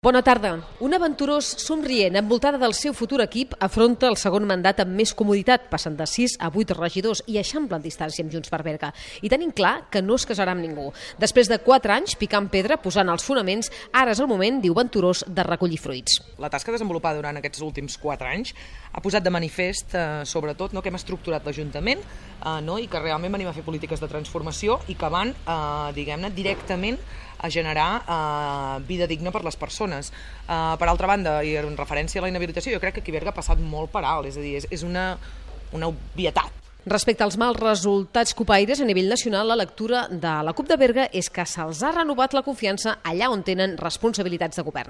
Bona tarda. Un aventurós somrient, envoltada del seu futur equip, afronta el segon mandat amb més comoditat, passant de 6 a 8 regidors i eixamplant distància amb Junts per Berga. I tenint clar que no es casarà amb ningú. Després de 4 anys picant pedra, posant els fonaments, ara és el moment, diu Venturós, de recollir fruits. La tasca desenvolupada durant aquests últims 4 anys ha posat de manifest, sobretot, que hem estructurat l'Ajuntament i que realment venim a fer polítiques de transformació i que van, diguem-ne, directament a generar vida digna per les persones. Per altra banda, i en referència a la inhabilitació, jo crec que aquí a Berga ha passat molt per alt, és a dir, és una obvietat. Respecte als mals resultats copaires a nivell nacional, la lectura de la CUP de Berga és que se'ls ha renovat la confiança allà on tenen responsabilitats de govern.